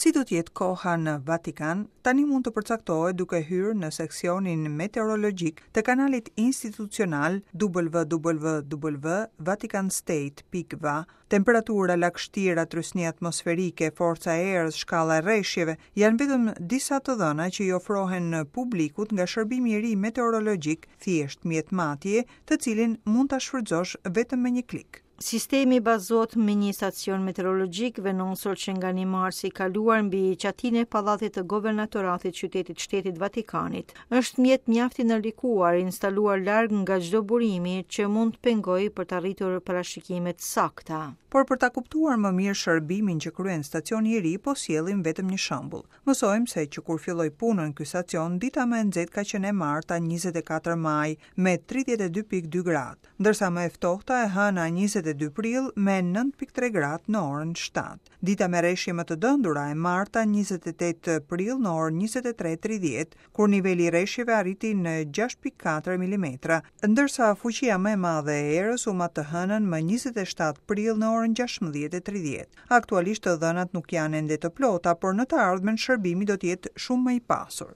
Si do të jetë koha në Vatikan, tani mund të përcaktohet duke hyrë në seksionin meteorologjik të kanalit institucional www.vaticanstate.va. Temperatura, lagështira, trysni atmosferike, forca e erës, shkalla e reshjeve janë vetëm disa të dhëna që i ofrohen publikut nga shërbimi i ri meteorologjik, thjesht mjet matje, të cilin mund ta shfrytëzosh vetëm me një klik. Sistemi bazohet me një stacion meteorologjik vendosur që nga 1 marsi i kaluar mbi çatinë e pallatit të governatoratit qytetit shtetit Vatikanit. Është mjet mjaft i ndërlikuar, instaluar larg nga çdo burimi që mund të pengojë për të arritur parashikime të sakta. Por për ta kuptuar më mirë shërbimin që kryen stacioni i ri, po sjellim vetëm një shembull. Mësojmë se që kur filloi punën ky stacion, dita më e nxehtë ka qenë e marta 24 maj me 32.2 gradë, ndërsa më e ftohta e hëna 22 prill me 9.3 gradë në orën 7. Dita me reshje më të dendura e marta 28 prill në orën 23:30, kur niveli i reshjeve arriti në 6.4 mm, ndërsa fuqia më e madhe e erës u mat të hënën më 27 prill në orën 16:30. Aktualisht të dhënat nuk janë ende të plota, por në të ardhmen shërbimi do të jetë shumë më i pasur.